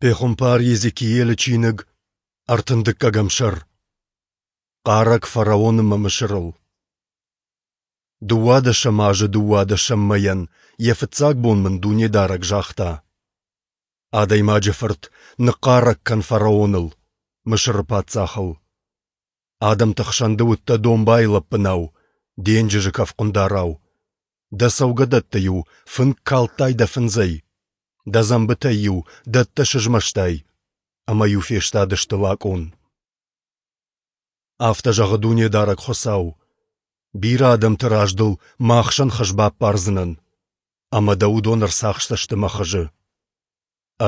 Пехуымпар Йезекиелы чиныг, ӕртындыккӕгӕм сӕр. Хъарӕг фараон ӕмӕ Мысырыл. Дыууадӕсӕм азы дыууадӕсӕм мӕйӕн йӕ фыццаг бон мын Дунедарӕг загъта: Адӕймаджы фырт, ныхъхъарӕг кӕн фараоныл, Мысыры паддзахыл. Адӕмты хсӕн ды уыдтӕ домбайы лӕппынау, денджызы кӕфхъуындарау. Дӕ цӕугӕдӕтты-иу фынк калдтай дӕ фындзӕй, дӕ дзӕмбытӕй-иу дӕттӕ сызмӕстай, ӕмӕ-иу фестадысты лакъон. Афтӕ зӕгъы Дунедарӕг Хуыцау: Бирӕ адӕмты раз дыл мӕ ахсӕн хыз баппардзынӕн, ӕмӕ дӕ уыдон ӕрцахсдзысты мӕ хызы.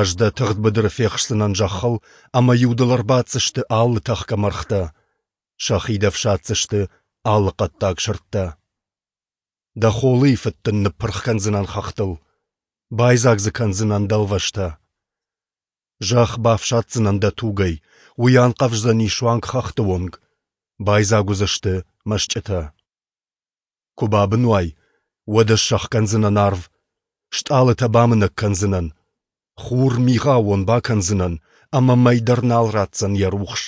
Ӕз дӕ тыгъд быдыры фехсдзынӕн зӕххыл, ӕмӕ-иу дыл ӕрбаддзысты алы тӕхгӕ мӕргътӕ, сӕхи дӕ ӕфсаддзысты алы хъӕддаг сырдтӕ. Дӕ холыйы фыд дын ныппырх кӕндзынӕн хӕхтыл, байдзаг дзы кӕндзынӕн дӕлвӕзтӕ. Зӕхх бафсаддзынӕн дӕ тугӕй, уый анхъӕвздзӕни суанг хӕхты онг, байдзаг уыдзысты мӕсчъытӕ. Куы бабын уай, уӕд ӕз сӕхгӕндзынӕн арв, стъалытӕ бамынӕг кӕндзынӕн, хур мигъаууон бакӕндзынӕн, ӕмӕ мӕй дӕр нал ратдзӕн йӕ рухс.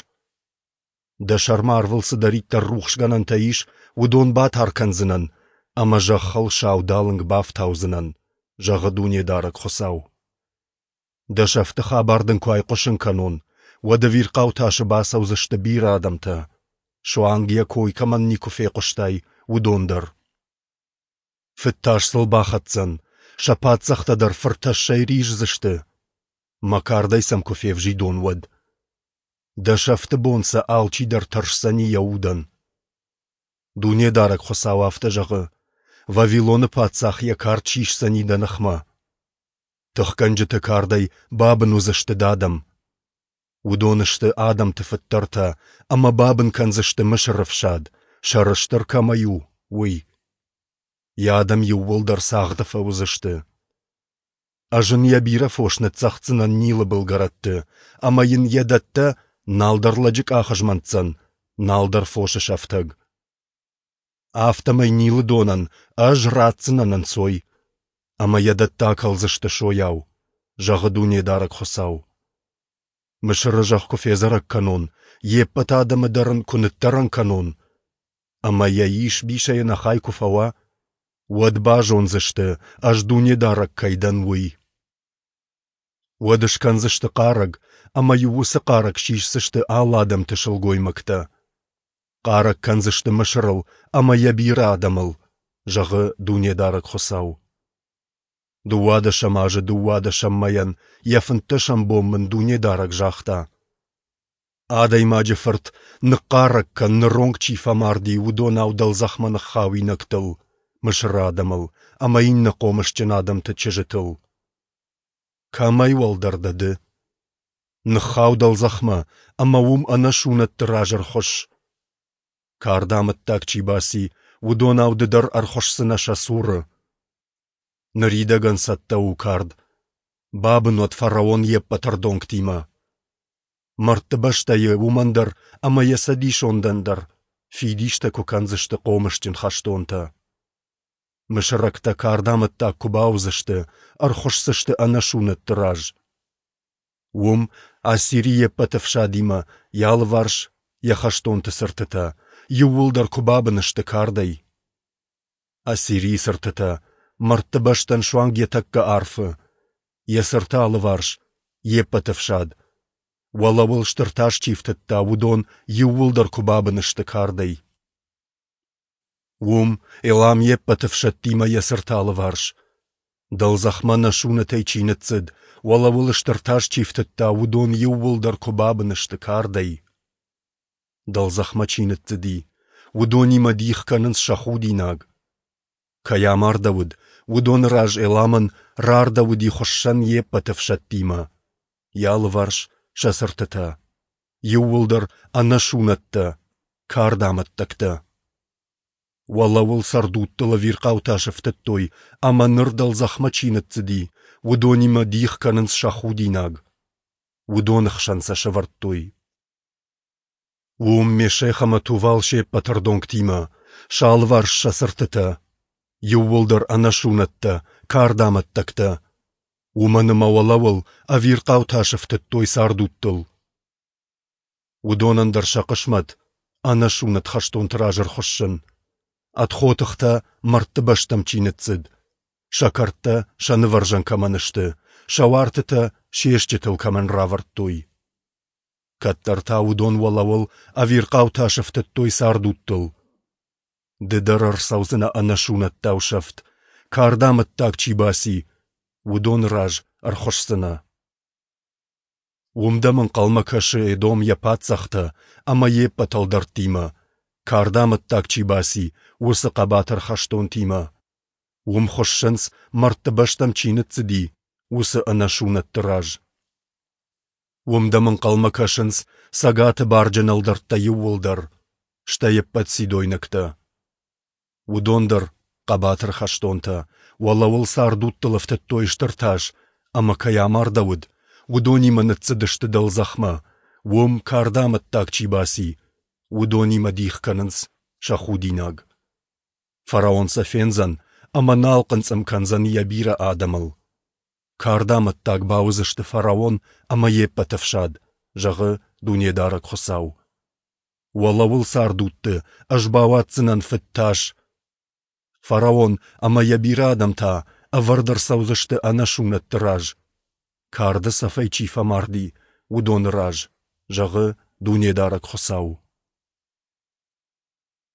Дӕ сӕрмӕ арвыл цыдӕриддӕр рухсгӕнӕнтӕ ис, уыдон батар кӕндзынӕн ӕмӕ зӕххыл саудалынг бафтаудзынӕн, зӕгъы Дунедарӕг Хуыцау. Дӕ сӕфты хабар дын куы айхъуысын кӕнон, уӕд ӕвирхъау тасы бацӕудзысты бирӕ адӕмтӕ, суанг йӕ кой кӕмӕн никуы фехъуыстай, уыдон дӕр. Фыд тас сыл бахӕцдзӕн, сӕ паддзӕхтӕ дӕр фыртӕссӕй риздзысты, мӕ кардӕй сӕм куы февзидон, уӕд. Дӕ сӕфты бон сӕ алчидӕр тӕрсдзӕни йӕ удӕн. Дунедарӕг Хуыцау афтӕ зӕгъы: Вавилоны паддзах йӕ кард сисдзӕни дӕ ныхмӕ. Тыхгӕнджыты кардӕй бабын уыдзысты дӕ адӕм. Уыдон сты адӕмты фыддӕртӕ ӕмӕ бабын кӕндзысты Мысыры фсад, сӕрыстыр кӕмӕй у, уый. Йӕ адӕм иууылдӕр цагъды фӕуыдзысты. Ӕз ын йӕ бирӕ фос ныццӕгъддзынӕн Нилы былгӕрӕтты, ӕмӕ йын йӕ дӕттӕ нал дӕр лӕджы къах змӕнтдзӕн, нал дӕр фосы сӕфтӕг. Афтӕмӕй Нилы донӕн ӕз ратдзынӕн ӕнцой, ӕмӕ йӕ дӕттӕ акӕлдзысты сойау, зӕгъы Дунедарӕг Хуыцау. Мысыры зӕхх куы федзӕрӕг кӕнон, йе ппӕт адӕмы дӕр ын куы ныддӕрӕн кӕнон, ӕмӕ йӕ ис-бисӕй ӕнӕхай куы фӕуа, уӕд базондзысты, ӕз Дунедарӕг кӕй дӕн, уый. Уӕд скӕндзысты хъарӕг, ӕмӕ-иу уыцы хъарӕг сисдзысты алы адӕмты сылгоймӕгтӕ. Хъарӕг кӕндзысты Мысырыл ӕмӕ йӕ бирӕ адӕмыл, зӕгъы Дунедарӕг Хуыцау. Дыууадӕсӕм азы дыууадӕсӕм мӕйӕн йӕ фынддӕсӕм бон мын Дунедарӕг загъта: Адӕймаджы фырт, ныхъхъарӕг кӕн, ныронг чи фӕмарди, уыдонау дӕлдзӕхмӕ ныххауинӕгтыл, Мысыры адӕмыл ӕмӕ иннӕ хъомысджын адӕмты чызджытыл. Кӕмӕй уӕлдӕр дӕ ды? Ныххау дӕлдзӕхмӕ ӕмӕ уым ӕнӕсунӕтты раз ӕрхуысс. Карды амӕттаг чи баци, уыдонау ды дӕр ӕрхуысдзынӕ сӕ цуры. Ныридӕгӕн цӕттӕ у кард. Бабын уӕд фараон йе ппӕт ӕрдонгтимӕ. Мӕрдты бӕстӕйы уымӕн дӕр ӕмӕ йӕ цӕдисондӕн дӕр фидистӕ куы кӕндзысты хъомысджын хӕстонтӕ. Мысырӕгтӕ кардамӕттаг куы бауыдзысты, ӕрхуысдзысты ӕнӕсунӕтты раз. Уым Ассири йе ппӕт ӕфсадимӕ, йӕ алыварс йӕ хӕстонты цыртытӕ, иууылдӕр куы бабын сты кардӕй. Ассирийы цыртытӕ мӕрдты бӕстӕн суанг йӕ тӕккӕ арфы, йӕ цырты алыварс, йе ппӕт ӕфсад. Уӕлӕуыл стыр тас чи фтыдта, уыдон иууылдӕр куы бабын сты кардӕй. Уым Элам йе ппӕт ӕфсӕдтимӕ йӕ цырты алыварс. Дӕлдзӕхмӕ нӕ сунӕтӕй чи ныццыд, уӕлӕуыл стыр тас чи фтыдта, уыдон иууылдӕр куы бабын сты кардӕй. Дӕлдзӕхмӕ чи ныццыди, уыдонимӕ дих кӕнынц сӕ худинаг. Кӕй амардӕуыд, уыдоны раз Эламӕн рардӕуыди хуыссӕн йе ппӕт ӕфсӕдтимӕ, йӕ алыварс сӕ цыртытӕ, иууылдӕр ӕнӕсунӕттӕ, кардамӕттӕгтӕ. Уӕлӕуыл цӕрдудтыл ӕвирхъау тас ӕфтыдтой, ӕмӕ ныр дӕлдзӕхмӕ чи ныццыди, уыдонимӕ дих кӕнынц сӕ худинаг. Уыдоны хсӕн сӕ сӕвӕрдтой. Уым Мешех ӕмӕ Тувал се ппӕт ӕрдонгтимӕ, сӕ алыварс сӕ цыртытӕ, иууылдӕр ӕнӕсунӕттӕ, кардамӕттӕгтӕ. Уымӕн ӕмӕ уӕлӕуыл ӕвирхъау тас ӕфтыдтой цардудтыл. Уыдонӕн дӕр сӕ хъысмӕт ӕнӕсунӕт хӕстонты раз ӕрхуыссын, ӕд хотыхтӕ мӕрдты бӕстӕм чи ныццыд, сӕ кӕрдтӕ сӕ нывӕрзӕн кӕмӕн сты, сӕ уартытӕ се стджытыл кӕмӕн равӕрдтой. Кӕддӕр та уыдон уӕлӕуыл ӕвирхъау тас ӕфтыдтой цардудтыл. Ды дӕр ӕрцӕудзынӕ ӕнӕсунӕттау сӕфт, кардамӕттаг чи баци, уыдоны раз ӕрхуысдзынӕ. Уым дӕм ӕнхъӕлмӕ кӕсы Эдом йӕ паддзӕхтӕ ӕмӕ йе ппӕт ӕлдӕрттимӕ, кардамӕттаг чи баци, уыцы хъӕбатыр хӕстонтимӕ. Уым хуыссынц, мӕрдты бӕстӕм чи ныццыди, уыцы ӕнӕсунӕтты раз. Уым дӕм ӕнхъӕлмӕ кӕсынц Цӕгаты барджын ӕлдӕрттӕ иууылдӕр, стӕй ӕппӕт сидойнӕгтӕ. Уыдон дӕр, хъӕбатыр хӕстонтӕ, уӕлӕуыл цардудтыл ӕфтыдтой стыр тас, ӕмӕ кӕй амардӕуыд, уыдонимӕ ныццыдысты дӕлдзӕхмӕ, уым кардамӕттаг чи баци, уыдонимӕ дих кӕнынц сӕ худинаг. Фараон сӕ фендзӕн ӕмӕ нал хъынцъым кӕндзӕн йӕ бирӕ адӕмыл. Кардамӕттаг бауыдзысты фараон ӕмӕ йе ппӕт ӕфсад, зӕгъы Дунедарӕг Хуыцау. Уӕлӕуыл цардудты ӕз бауадздзынӕн фыд тас. Фараон ӕмӕ йӕ бирӕ адӕм та ӕвӕрд ӕрцӕудзысты ӕнӕсунӕтты раз, карды цӕфӕй чи фӕмарди, уыдоны раз, зӕгъы Дунедарӕг Хуыцау.